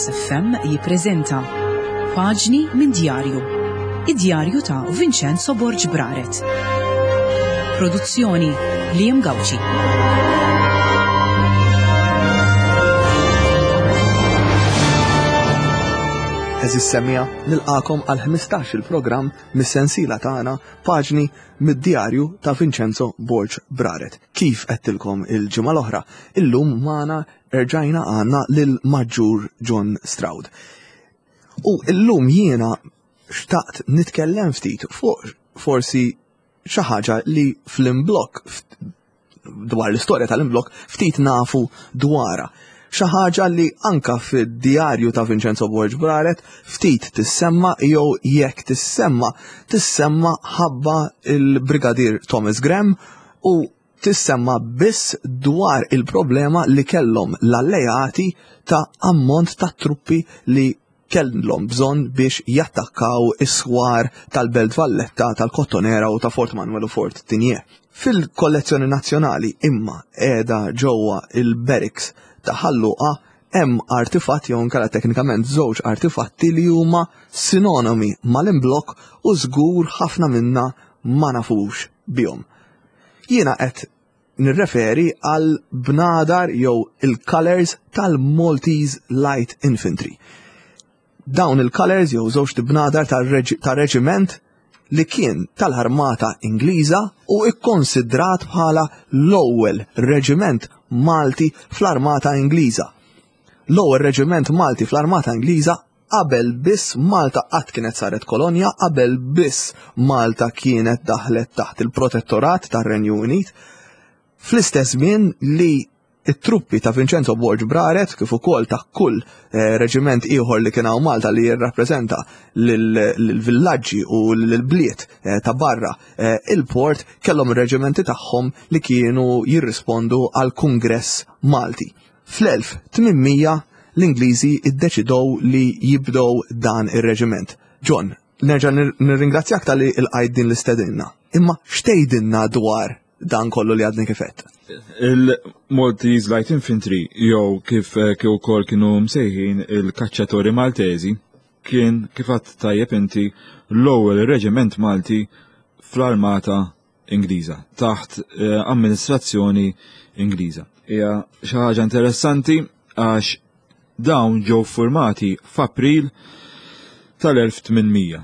Focus FM jippreżenta Paġni minn Djarju. Id-djarju ta' Vincenzo Borg Braret. Produzzjoni Liam Gauci. Eżis semija nilqakom għal 15 il-programm mis-sensiela tagħna Paġni mid-djarju ta' Vincenzo Borg Braret. Kif għedtilkom il-ġimgħa l-oħra, illum magħna erġajna għandna lil Maġġur John Stroud. U illum jiena xtaqt nitkellem ftit fuq forsi xi ħaġa li fl-imblokk dwar l-istorja tal-imblokk ftit nafu dwarha. Xi ħaġa li anka fid-djarju ta' Vincenzo Borg Braret ftit tissemma jew jekk tissemma tissemma ħabba il-Brigadier Thomas Graham u tissemma biss dwar il-problema li kellhom l-alleati ta' ammont ta' truppi li kellhom bżonn biex jattakkaw is-swar tal-Belt Valletta, tal-Kottonera u ta' Fort Manuel u Fort Tigné. Fil-kollezzjoni nazzjonali imma qiegħda ġewwa il-barracks ta' Ħal Luqa hemm artifatt jew inkella teknikament żewġ artifatti li huma sinonimi mal-imblokk u żgur ħafna minna ma nafux bihom. Jiena qed nirreferi għal bnadar jew il-colors tal-Maltese Light Infantry. Dawn il-colors jew żewġ bnadar ta' reġiment li kien tal-armata Ingliża u ikkonsidrat bħala l-ewwel reġiment Malti fl-armata Ingliża. L-ewwel reġiment Malti fl-armata Ingliża Qabel biss Malta qatt kienet saret kolonja, qabel biss Malta kienet daħlet taħt il-protettorat tar-Renju Unit, fl-istess żmien li it-truppi ta' Vincenzo Borg Braret kif ukoll ta' kull eh, reġiment ieħor li kien hawn Malta li jirrappreżenta lill-villaġġi u lill-bliet eh, ta' barra eh, il-port kellhom ir-reġimenti tagħhom li kienu jirrispondu għal Kungress Malti. Fl-1800 l-Ingliżi iddeċidew li jibdew dan ir-reġiment. John, nerġa' nirringrazzjak talli lqajt din l-istedina. Imma x'tgħidilna dwar dan kollu li għadni kif għedt? Il-Maltese Light Infantry jew kif eh, kif ukoll kienu msejħin il-Kaċċatori Maltesi kien kif għadt tajjeb inti l-ewwel reġiment Malti fl-armata Ingliża, taħt eh, amministrazzjoni Ingliża. Hija xi ħaġa interessanti għax dawn ġew formati f'April tal-1800.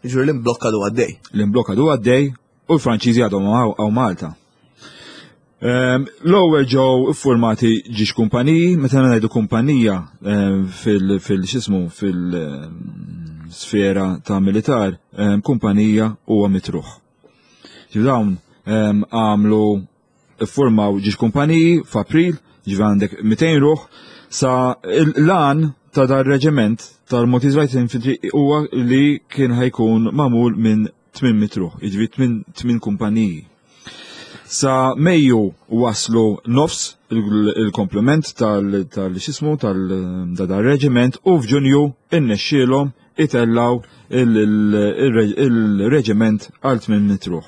Ġur l-imblokka du għaddej. L-imblokka du għaddej u l-Franċiżi għadhom għaw Malta. Ehm, l-ewwel ġew iffurmati ġiex kumpaniji, meta ngħidu kumpanija ehm, fil-xismu fil-sfera ta' militar, ehm, kumpanija huwa mitruħ. Dawn għamlu ffurmaw ġiex kumpaniji f'April, ġifi għandek 200 ruħ, sa l-għan ta' dar reġiment tal-Maltese Light Infantry huwa li kien ħajkun mamul minn 800 ruħ, jiġifieri 8 kumpaniji. Sa Mejju waslu nofs il-komplement tal-xismu tal-reġiment u f'Ġunju innexxielhom itellaw il-reġiment għal 800 ruħ.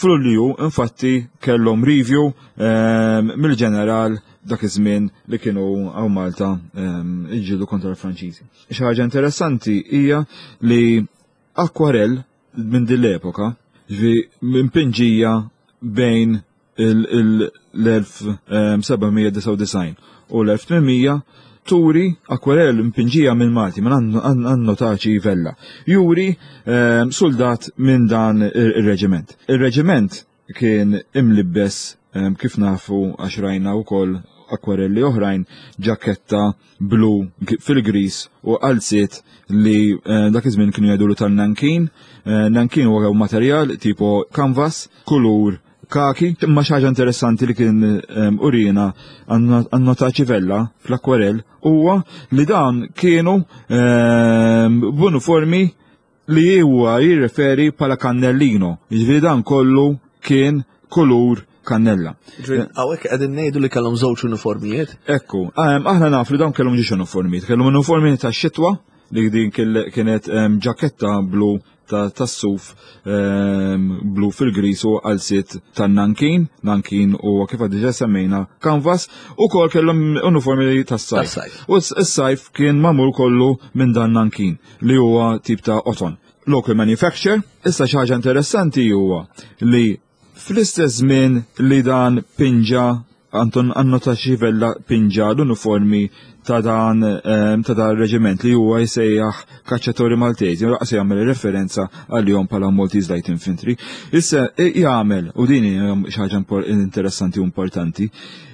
F'Lulju infatti kellhom review ehm, mill-ġeneral dak iż-żmien li kienu hawn Malta ehm, iġġieldu kontra l-Franċiżi. Xi ħaġa interessanti hija li akwarell minn din l-epoka, ġifi minn pinġija bejn l-1799 u l-1800 turi akwarell mpinġija minn Malti, minn Annotaċi Vella. Juri ehm, soldat minn dan ir-reġiment. Ir-reġiment kien imlibbes ehm, kif nafu għax rajna wkoll akwarelli oħrajn ġaketta blu fil-gris u qalziet li eh, dak iż-żmien kienu jgħidulu tal-nankin. Eh, nankin huwa materjal tipo canvas, kulur kaki, imma xi ħaġa interessanti li kien ehm, urina għan-nota ċivella fl-akwarell huwa li dan kienu ehm, b'uniformi li huwa jirreferi bħala kannellino. Jiġifieri dan kollu kien kulur kannella. Hawnhekk qegħdin ngħidu li kellhom żewġ uniformijiet. Ekku, ehm, aħna nafu li dawn kellhom ġiex uniformijiet, kellhom uniformi tax-xitwa li din kienet ehm, ġaketta blu tas-suf ehm, blu fil-gris u qalziet tan-nankin, nankin u kif diġà semmejna canvas, u kol kellhom uniformi tas-sajf. U s-sajf kien magħmul kollu minn dan nankin li huwa tip ta' oton. Local manufacture, issa xi ħaġa interessanti huwa li Fl-istess żmien li dan pinġa Anton Annotaci Vella pinġa l-uniformi ta' dan ehm, ta' dan reġiment li huwa jsejjaħ kaċċatori Maltesi, u laqas jagħmel referenza għalihom bħala Maltese Light Infantry. Issa jagħmel, u din hija xi ħaġa interessanti u importanti,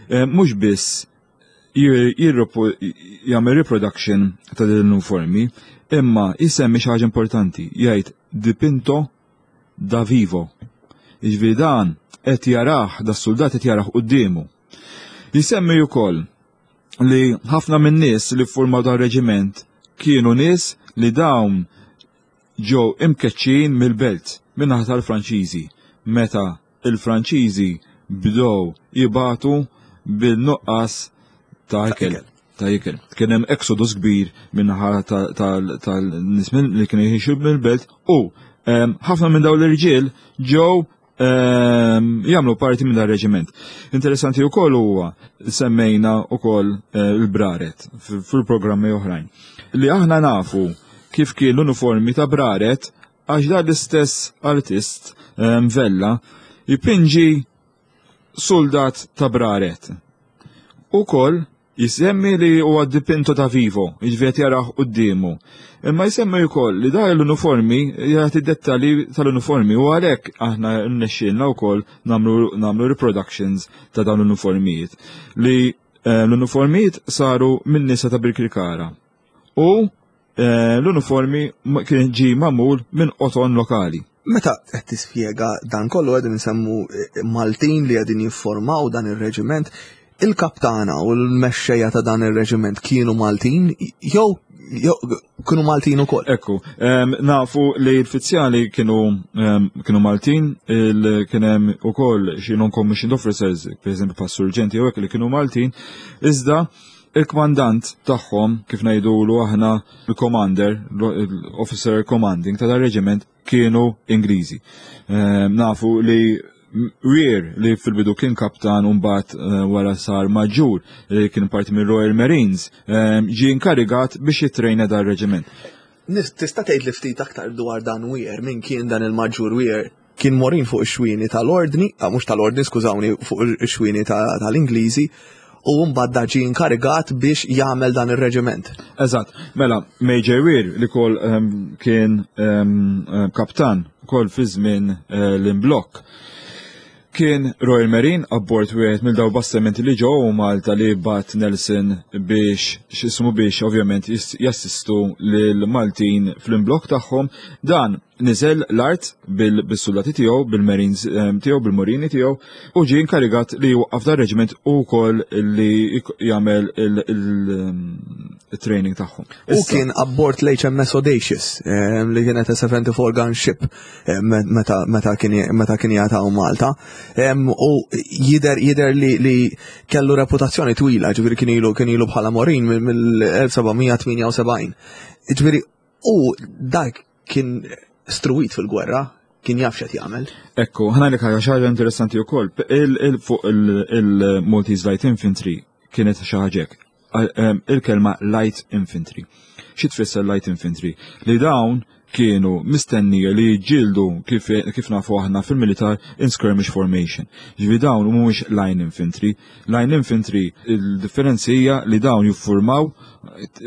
ehm, mhux biss jagħmel reproduction ta' din l-uniformi, imma jsemmi xi ħaġa importanti, jgħid dipinto da vivo. Jiġifieri dan qed jarah, da suldat qed jarah quddiemu. Jisemmi wkoll li ħafna minn nies li ffurmaw dan reġiment kienu nies li dawn ġew imkeċċin mill-belt min-naħa tal-Franċiżi meta il-Franċiżi bdew jibatu bil-nuqqas ta' ikel. Ta' ikel. Kien hemm exodus kbir min-naħa tal-nies li kienu jgħixu mill-belt u ehm, ħafna minn dawn l-irġiel ġew ehm, jagħmlu parti minn dan reġiment. Interessanti wkoll huwa semmejna wkoll eh, il-braret fil-programmi oħrajn. Li aħna nafu kif kien l-uniformi ta' braret Għax dan l-istess artist ehm, Vella jpinġi soldat ta' braret. Ukoll jisemmi li huwa dipinto ta' vivo, jiġifieri qed jarah quddiemu. Imma jsemmi wkoll li dar l-uniformi jagħti dettalji tal-uniformi u għalhekk aħna rnexxielna wkoll nagħmlu reproductions ta' dawn l-uniformijiet li eh, l-uniformijiet saru minn nisa ta' Birkirkara. U Eh, l-uniformi kien ġi magħmul minn qoton lokali. Meta qed tispjega dan kollu qegħdin insemmu eh, Maltin li qegħdin jiffurmaw dan ir-reġiment, il-kaptana u l-mexxejja ta' dan ir-reġiment kienu Maltin jew kienu Maltin ukoll. Ekku, nafu li l-fizzjali kienu kienu Maltin, kien hemm ukoll xi non-commissioned officers, pereżempju pas surġenti jew hekk li kienu Maltin, iżda Il-kmandant tagħhom, kif ngħidulu aħna l-commander, l-officer commanding ta' dar-reġiment kienu Ingliżi. Ehm, nafu li Weir li fil-bidu kien kaptan u mbagħad eh, wara sar maġġur li kien parti minn Royal Marines ehm, ġie inkarigat biex jitrejna dar-reġiment. Tista' tgħid li ftit aktar dwar dan Weir, min kien dan il-maġġur Weir? Kien morin fuq ix-xwieni tal-Ordni, ah, mhux tal-Ordni, skużawni, fuq ix-xwieni tal-Ingliżi, u mbagħad da ġie inkarigat biex jagħmel dan ir-reġiment. Eżatt, mela Major Weir li kol um, kien um, kaptan kol fi żmien uh, l-imblokk. Kien Royal Marine abbord wieħed mill daw bastimenti li ġew Malta li bat Nelson biex x'ismu biex ovvjament jassistu lil Maltin fl-imblokk tagħhom. Dan niżel l-art bil-suldati tiegħu, bil-marines ehm, tiegħu, bil-morini tiegħu u ġie inkarigat li jwaqqaf dar reġiment u wkoll li jagħmel il-training ehm, tagħhom. U kien abbord l-HMS Audacious ehm, li kienet 74 gun ship meta kien jagħtaw Malta. U jider jider li kellu reputazzjoni twila, ġifieri kien ilu kien ilu bħala morin mill-1778. Ġifieri u dak kien struwit fil-gwerra, kien jaf x'qed jagħmel. Ekku, ħana li ħaġa ħaġa interessanti wkoll, fuq il-Maltese Light Infantry kienet xi ħaġa Il-kelma Light Infantry. Xi tfisser Light Infantry? Li dawn kienu mistennija li jġildu kif, kif nafu aħna fil-militar in skirmish formation. Ġifi dawn mhumiex line infantry. Line infantry il-differenzi hija li dawn jiffurmaw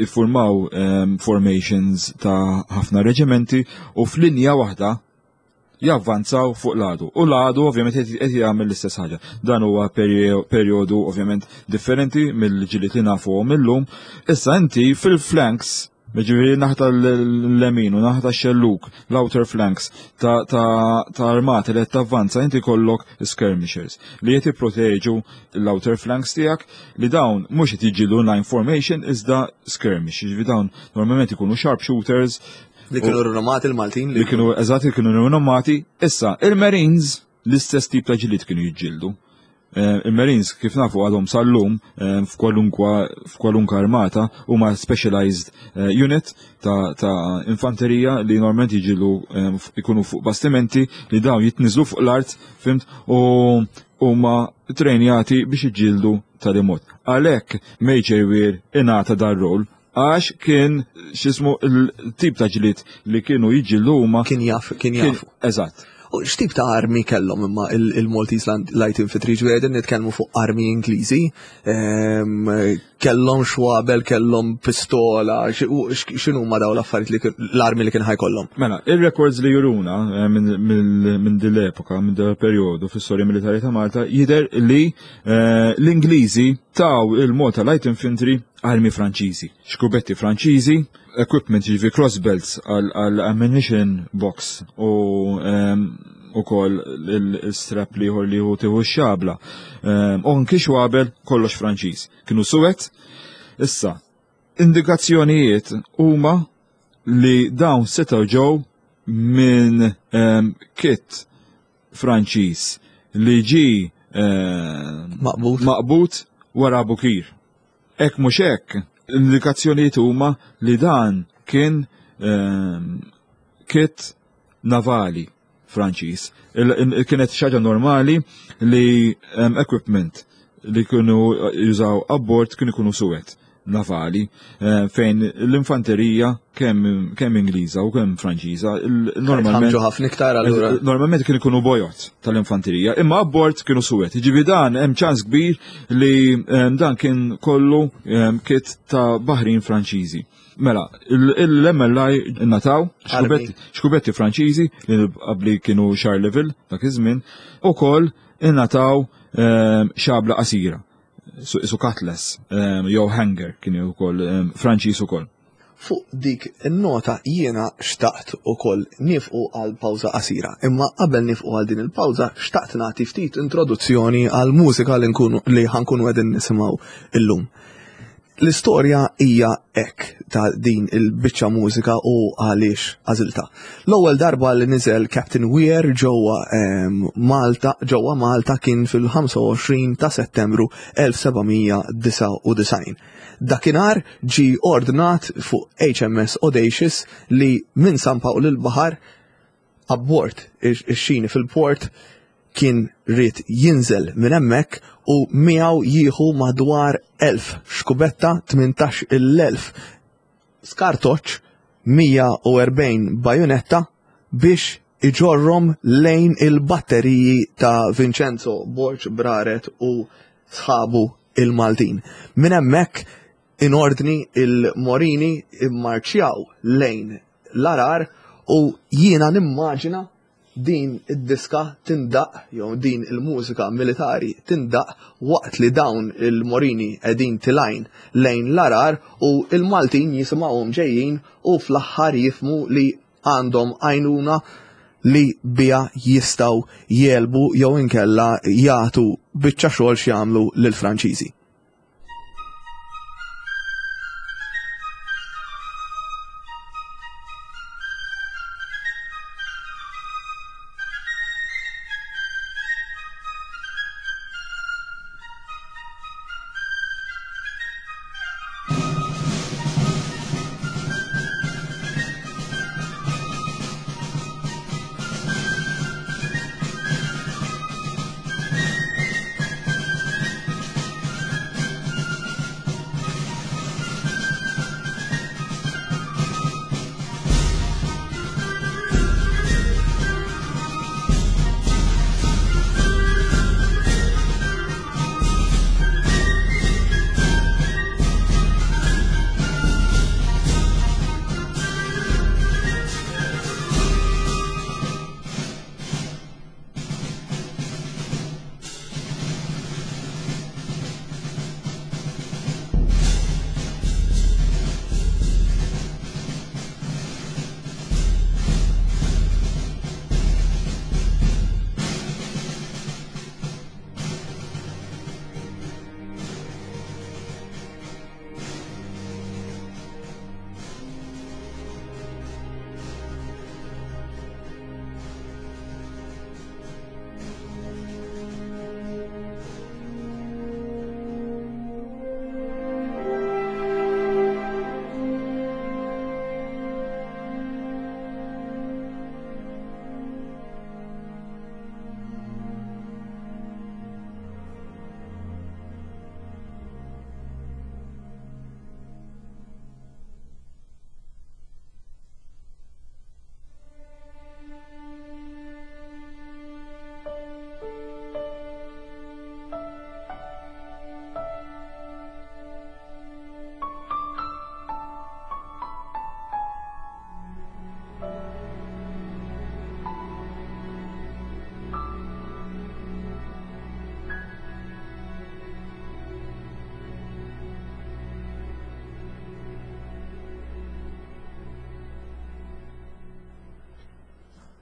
iffurmaw ehm, formations ta' ħafna reġimenti u f'linja waħda javvanzaw fuq l-għadu. U l-għadu ovvjament qed jagħmel l-istess ħaġa. Dan huwa perjodu ovvjament differenti mill-ġiliet li nafuhom illum. Issa inti fil-flanks Ġifieri naħta l-lemin u naħta x-xelluk, l-outer flanks ta' armati li qed tavvanza inti kollok skirmishers li qed jipproteġu l-outer flanks tiegħek li dawn mhux qed jiġġieldu line formation iżda skirmish. Ġifieri dawn normalment ikunu sharpshooters. Li kienu rinomati l-Maltin. Li kienu eżatt li kienu rinomati. Issa, il-Marines l-istess tip ta' ġlied kienu jiġġieldu. Il-Marines kif nafu għadhom sal-lum f'kwalunkwa f'kwalunkwa armata huma specialized unit ta', ta infanterija li normalment jiġilu ikunu fuq bastimenti li dawn jitniżlu fuq l-art, fimt, u huma trejnjati biex iġildu tal-imot. Għalhekk Major Weir ingħata dar-rol għax kien xismu il-tip ta' ġlied li kienu jiġġieldu huma. Kien jaf, kien jaf. Eżatt. U x'tip ta' armi kellhom imma il-Maltese Light Infantry ġifieri qegħdin nitkellmu fuq armi Ingliżi, kellhom xwabel, kellhom pistola, x'inhuma dawn l-affarijiet li l-armi li kien ħajkollhom? Mela, ir-records li juruna eh, minn din l-epoka, minn din il-perjodu fis-storja militari ta' Malta, jidher li eh, l-Ingliżi taw il-Malta Light Infantry armi Franċiżi, xkubetti Franċiżi, equipment jiġifieri cross belts għal ammunition box u ehm, ukoll il-strap li ieħor li hu tieħu x-xabla. Ehm, u anki xwabel kollox Franċiż. Kienu suwed. Issa, indikazzjonijiet huma li dawn setgħu ġew minn ehm, kit Franċiż li ġi maqbud maqbud wara Bukir. Hekk mhux hekk, l-indikazzjonijiet huma li dan kien ehm, kit navali Franċiż. Kienet xi ħaġa normali li ehm, equipment li kienu jużaw abbord kienu jkunu suwed navali eh, fejn l-infanterija kemm kemm Ingliża u kemm Franċiża normalment ħafna iktar allura. Eh, normalment kienu jkunu bojot tal-infanterija, imma abbord kienu suwed. Jiġifieri dan hemm ċans kbir li eh, dan kien kollu kit ta' baħrin Franċiżi. Mela, l-MLI nataw xkubetti Franċiżi li qabli kienu Charleville dak iż-żmien, ukoll ingħataw xabla qasira su cutlass jew hanger kien ukoll Franċiż ukoll. Fuq dik in-nota jiena xtaqt ukoll niefqu għal pawża qasira. Imma qabel niefqu għal din il-pawża xtaqt nagħti ftit introduzzjoni għal mużika li nkunu li ħankunu qegħdin nisimgħu illum. L-istorja hija hekk ta' din il-biċċa mużika u għaliex għażiltha. L-ewwel darba li niżel Captain Weir ġewwa ehm, Malta ġewwa Malta kien fil-25 ta' Settembru 1799. Dakinhar ġie ordnat fuq HMS Audacious li minn San Pawl il-Baħar abbord ix-xini fil-port kien ried jinżel minn hemmhekk u miegħu jieħu madwar 1000 xkubetta, 18,000 skartoċċ, 140 bajunetta biex iġorrhom lejn il-batteriji ta' Vincenzo Borg Braret u sħabu il-Maltin. Minn hemmhekk in ordni il-Morini immarċjaw lejn l-Għargħar u jiena nimmaġina din id-diska tindaqq jew din il-mużika militari tindaqq waqt li dawn il-Morini qegħdin tilgħin lejn l-Għargħar u l-Maltin jisimgħuhom ġejjin u fl-aħħar jifhmu li għandhom għajnuna li biha jistgħu jegħlbu jew inkella jagħtu biċċa xogħol x'jagħmlu lill-Franċiżi.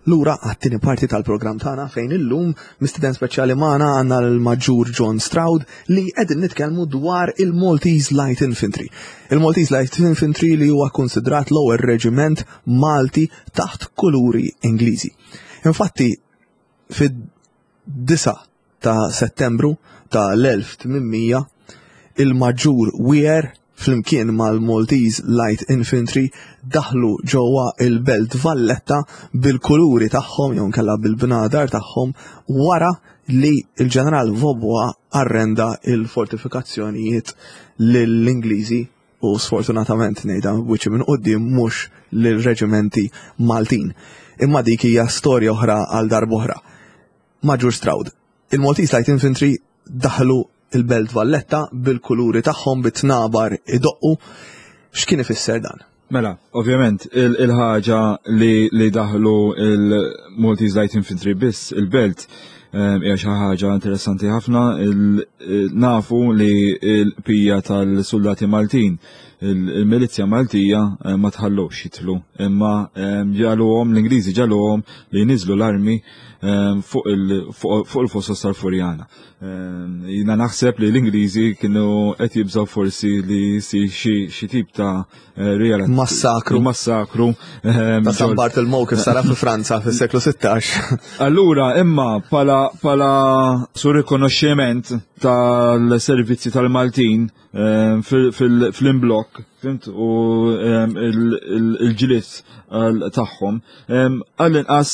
Lura għat-tieni parti tal-programm tagħna fejn illum mistieden speċjali magħna għandna l-Maġġur John Stroud li qegħdin nitkellmu dwar il-Maltese Light Infantry. Il-Maltese Light Infantry li huwa konsidrat l-ewwel reġiment Malti taħt kuluri Ingliżi. Infatti, fid-9 ta' Settembru ta' l-1800 il-Maġġur Weir flimkien mal-Maltese Light Infantry daħlu ġewwa il-Belt Valletta bil-kuluri tagħhom jew inkella bil-bnadar tagħhom wara li l-Ġeneral Vaubois arrenda il-fortifikazzjonijiet lill-Ingliżi u sfortunatament ngħidha wiċċi minn quddiem mhux lill-reġimenti Maltin. Imma dik hija storja oħra għal darb'oħra. Maġġur Stroud. Il-Maltese Light Infantry daħlu il-Belt Valletta bil-kuluri tagħhom bit-tnabar idoqqu. X'kien ifisser dan? Mela, ovvjament, il-ħaġa li, li daħlu il-Maltese Light Infantry biss il-belt ehm, hija xi ħaġa interessanti ħafna. Nafu li l-pija tal-soldati Maltin, il-milizja Maltija eh, ma tħallux jitlu, imma ehm, ġaluhom l-Ingliżi ġaluhom li jniżlu l-armi Ehm, fuq il-fosos tal-Furjana. Ehm, jina naħseb li l-Ingliżi kienu qed jibżaw forsi li si xi tip ta' eh, real massakru. Massakru. Ehm, ta' San Bartolomeo kif sara fi Franza fis-seklu 16. Allura, imma pala pala su rikonoxximent tal-servizzi tal-Maltin fl-imblok, fimt, u il-ġlied tagħhom, għall-inqas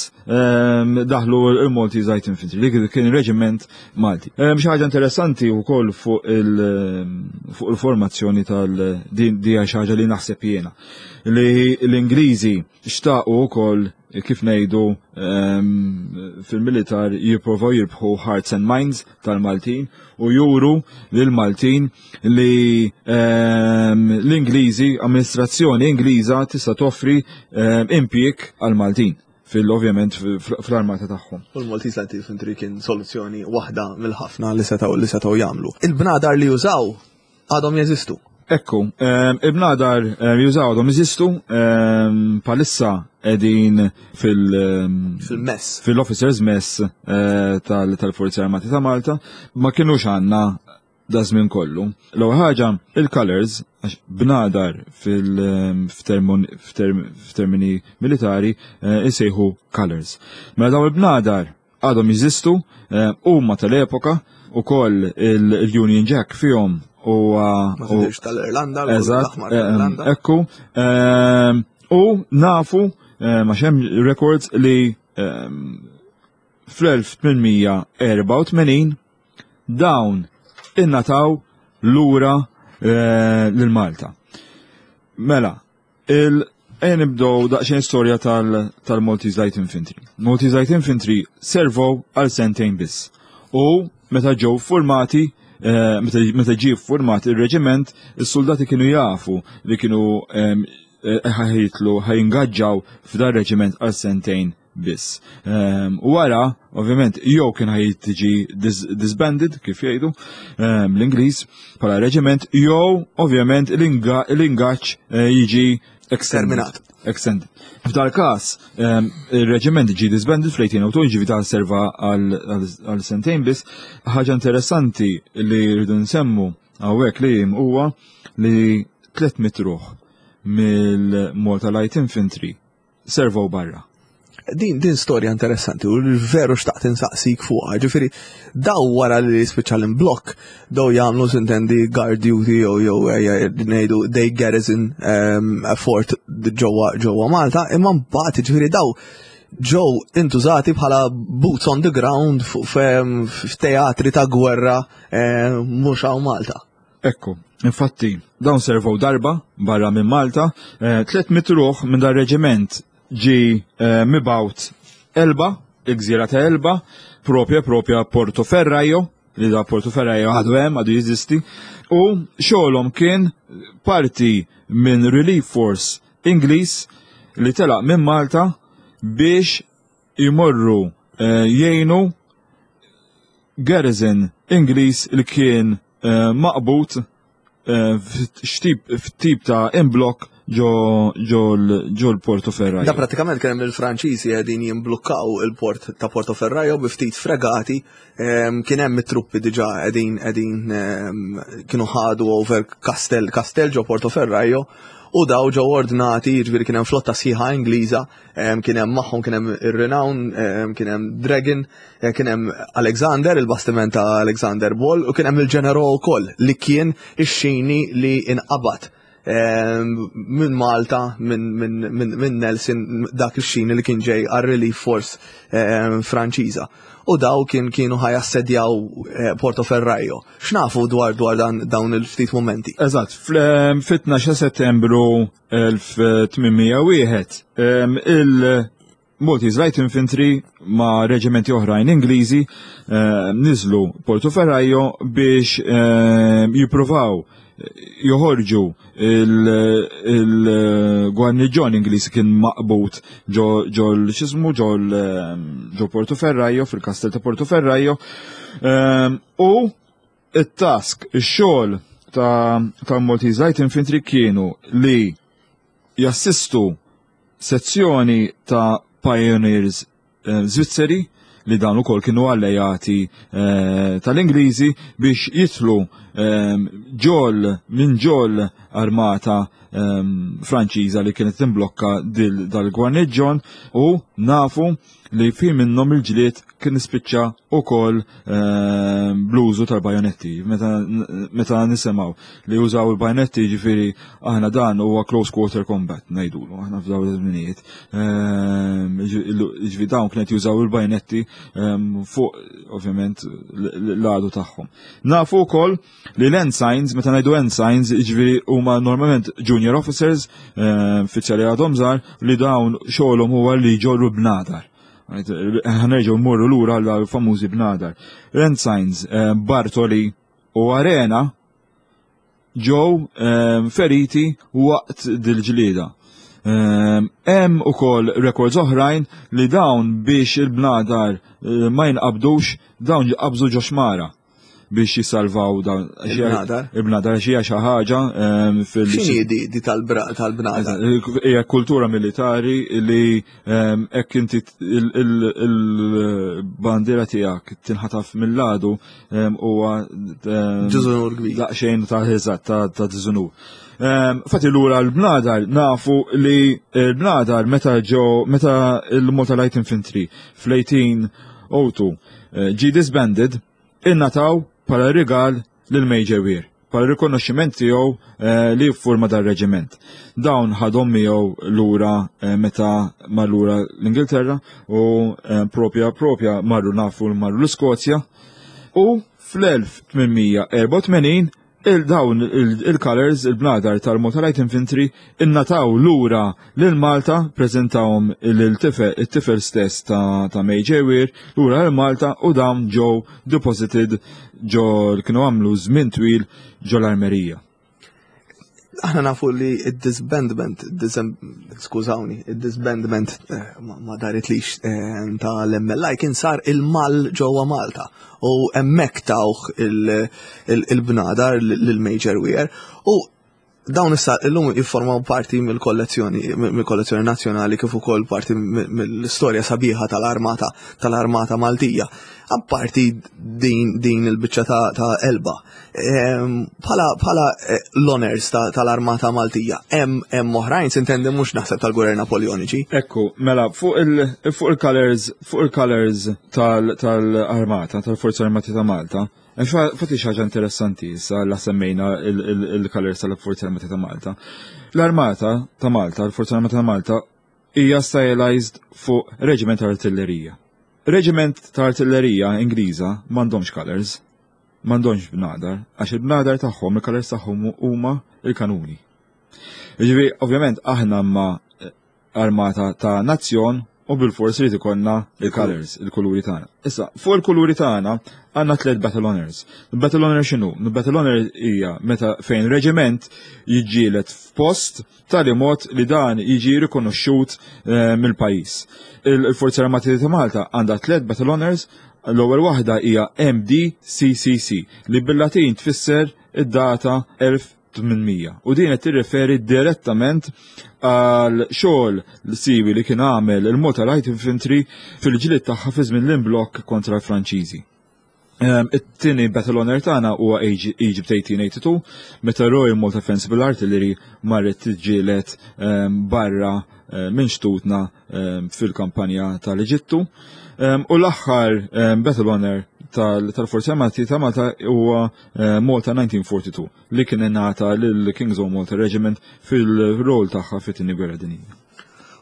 daħlu il-Maltese Light Infantry, li kien reġiment Malti. Xi ħaġa interessanti wkoll fuq il-formazzjoni tal-din xi ħaġa li naħseb jiena li l-Ingliżi xtaqu wkoll kif ngħidu fil-militar jipprovaw jirbħu hearts and minds tal-Maltin u juru lil Maltin li l-Ingliżi, amministrazzjoni Ingliża tista' toffri impjieg għal-Maltin fil-ovvjament fl-armata tagħhom. U l-Maltese Light Infantry kien soluzzjoni waħda mill-ħafna li setgħu li setgħu jagħmlu. Il-bnadar li jużaw għadhom jeżistu. Ekku, il-bnadar jużaw għadhom jeżistu, palissa edin fil- Fil-mess. Fil-officers mess eh, tal-Forzi Armati ta' Malta, ma kienux għanna da żmien kollu. L-ewwel ħaġa, il-colors, għax bnadar fil-termini militari eh, isejħu colors. Mela daw il-bnadar għadhom jeżistu, eh, huma tal-epoka, ukoll il-Union Jack fihom u Ma tidirx tal-Irlanda, Eżatt, eh, ekku. Eh, u nafu ma xem records li fl-1884 dawn innataw lura lil Malta. Mela, il Ejja nibdew daqsxejn storja tal-Maltese Light Infantry. Maltese Light Infantry servow għal sentejn biss. U meta ġew formati, eh, meta ġie format ir-reġiment, is-soldati kienu jafu li kienu eh, ħajitlu ħajingaġġaw f'dar reġiment għal sentejn biss. Ehm, u wara, ovvjament, jew kien ħaj tiġi disbanded, kif jgħidu ehm, l-Ingliż, bħala reġiment, jew ovvjament l-ingaġġ eh, jiġi exterminat. Extended. F'dal każ, ehm, il-reġiment ġi disbanded fl-1802, ġivi ta' serva għal sentejn biss. Ħaġa interessanti li rridu nsemmu hawnhekk li huwa li 300 ruħ mill-Malta Light Infantry servow barra. Din din storja interessanti u veru xtaqt insaqsik fuqha. Ġifieri daw wara li spiċċa l-imblokk daw jagħmlu sintendi guard duty jew jew ngħidu they garrison ehm, a fort ġewwa ġewwa Malta, imma mbagħad ġifieri daw ġew intużati bħala boots on the ground f'teatri ta' gwerra eh, mhux hawn Malta. Ekku, infatti, dawn servow darba barra minn Malta, 300 eh, ruħ minn dar reġiment ġi eh, mibgħut Elba, il-gżira ta' Elba, propja propja Porto Ferrajo, li da Porto Ferrajo għadu hemm, għadu jeżisti, u xogħolhom kien parti minn Relief Force Ingliż li telaq minn Malta biex jmorru eh, jgħinu garrison Ingliż li kien eh, maqbut eh, f'tip ta' imblok ġo l-Porto Ferrajo. Da pratikament kien hemm il-Franċiżi qegħdin jimblukkaw il-port ta' Porto Ferrajo bi ftit fregati, kien hemm it-truppi diġà qegħdin qegħdin kienu ħadu over Castel Castel ġo Porto Ferrajo u daw ġew ordnati, jiġifieri kien hemm flotta sħiħa Ingliża, kien hemm magħhom kien hemm ir-Renown, kien hemm Dragon, eh, kien hemm Alexander, il-bastiment ta' Alexander Ball, u kien hemm il-Ġenero wkoll li kien ix-xini li inqabad minn Malta, minn Nelson, dak ix-xini li kien ġej għar-Relief Force Franċiża. U daw kien kienu ħajassedjaw eh, Porto Ferrajo. X'nafu dwar dwar dan dawn il-ftit momenti? Eżatt, fit-12 Settembru 1801 il Maltese Light Infantry ma' reġimenti oħrajn Ingliżi eh, niżlu Porto Ferrajo biex eh, jippruvaw eh, joħorġu il-gwarniġjon Ingliż kien maqbut ġo l-xismu ġo Porto Ferrajo fil-kastell ta' Porto Ferrajo u it-task, ix-xogħol ta' Maltese Light Infantry kienu li jassistu sezzjoni ta' Pioneers eh, Zvizzeri li dan ukoll kienu allejati eh, tal-Ingliżi biex jitlu eh, ġol minn ġol armata Franċiża li kienet timblokka dal-gwarniġġon u nafu li fi minnhom il-ġlied kien ispiċċa ukoll ehm, bl-użu tal-bajonetti. Meta nisimgħu li użaw il-bajonetti ġifieri aħna dan huwa close quarter combat ngħidulu aħna f'dawn iż-żminijiet. Ehm, ġifieri dawn kienet jużaw il-bajonetti ehm, fuq ovvjament l-għadu tagħhom. Nafu wkoll li l-ensigns, meta ngħidu ensigns, jiġifieri huma normalment junior officers, eh, uffiċjali għadhom żgħar, li dawn xogħolhom huwa li jġorru bnadar. Ħanerġgħu mmorru lura għal famużi bnadar. L-ensigns eh, Bartoli u Arena ġew eh, feriti waqt dil-ġlieda. Hemm ukoll records oħrajn li dawn biex il-bnadar ma jinqabdux dawn qabżu ġo xmara. biex jisalvaw dawn. Il-bnadar? Il-bnadar xi xi ħaġa ehm, fil. X'inhi di, di tal-bnadar? Hija kultura militari li ehm, hekk inti il-bandiera tiegħek tinħataf mill-għadu ehm, huwa Diżunur kbir. Daqsxejn ta' eżatt ta' diżunur. Fatti lura l-bnadar nafu li l-bnadar meta ġew meta il-Malta Light Infantry fl-1802 eh, ġie disbanded ingħataw bħala rigal lil Major Weir bħala rikonoxximent tiegħu eh, li jiffurma dar-reġiment. Dawn ħadhom miegħu lura eh, meta mar lura l-Ingilterra u eh, propja propja marru nafu marru l-Iskozja u fl-1884 Il-dawn il-colors, il-bnadar tal-Malta Light Infantry innataw lura lil Malta, preżentawhom il-tifel stess ta' Major Weir lura lil Malta u dawn ġew deposited ġo kienu għamlu żmien twil ġo l-armerija. Aħna nafu li id-disbandment, skużawni, id-disbandment eh, ma daritlix eh, ta' l-MLI kien sar il-mal ġewwa Malta u hemmhekk tawh il-bnadar lil Major Weir u dawn issa illum jiffurmaw parti mill-kollezzjoni mill-kollezzjoni nazzjonali kif ukoll parti mill-istorja sabiħa tal-armata tal-armata Maltija. Apparti din din il-biċċa ta' Elba. Bħala bħala eh, l-honors tal-armata Maltija, hemm hemm oħrajn sintendi mhux naħseb tal-Gwerer Napoleoniċi. Ekku, mela fuq il-colors fuq il-colors tal-armata, tal-Forza Armati ta' Malta, Fatti xaġa interessanti issa la semmejna il-colors tal-Forza Armati ta' Malta. L-Armata ta' Malta, l-Forza Armata ta' Malta, hija stylized fuq reġiment ta' artillerija. Reġiment ta' artillerija Ingliża m'għandhomx colors, m'għandhomx bnadar, għax il-bnadar tagħhom, il-colors tagħhom huma il-kanuni. Jiġifieri, ovvjament aħna ma armata ta' nazzjon u bil-fors irid ikollna il-colors, il-kuluri tagħna. Issa, fuq il-kuluri tagħna għandna tliet battle honors. Battle honor x'inhu? Battle honor hija meta fejn reġiment jiġġieled f'post tali mod li dan jiġi rikonoxxut eh, mill-pajjiż. Il-Forzi Armati ta' Malta għandha tliet battle honors, l-ewwel waħda hija MDCCC li bil-Latin tfisser id-data 1000. l-1800 u din qed tirreferi direttament għal xogħol siwi li kien għamel il-Malta Light Infantry fil-ġlied tagħha fi żmien l-imblokk kontra l-Franċiżi. It-tieni Battle Honor tagħna huwa Egypt 1882 meta Royal Malta Fencible Artillery marret tiġġieled barra minn xtutna fil-kampanja tal-Eġittu. U l-aħħar Battle Honor tal-Forzi Armati ta' Malta huwa Malta 1942 li kien ingħata lil King's Own Malta Regiment fil-rol tagħha fit-Tieni Gwerra Dinjija.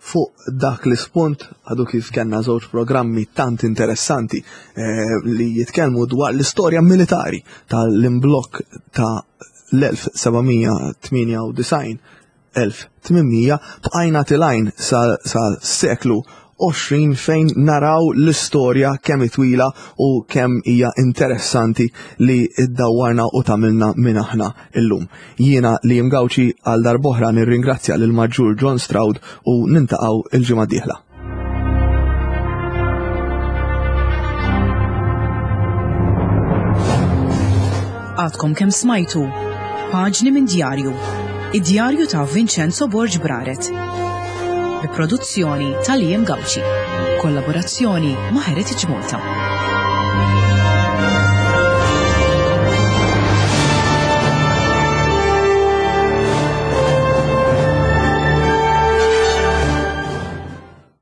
Fuq dak l-ispunt għadu kif kellna żewġ programmi tant interessanti eh, li jitkellmu dwar l-istorja militari tal-imblokk ta' l-1798 1800 bqajna tilgħin sa seklu 20 fejn naraw l-istorja kemm twila u kemm hija interessanti li ddawwarna u tagħmilna minn aħna illum. Jiena li Gauci għal darb'oħra nirringrazzja lil Maġġur John Stroud u nintaqgħu il-ġimgħa d-dieħla. Għadkom kemm smajtu Paġni minn djarju, id-djarju ta' Vincenzo Borg Braret. Bi produzzjoni ta' Liam Gauci. Kollaborazzjoni ma' Heritage Malta.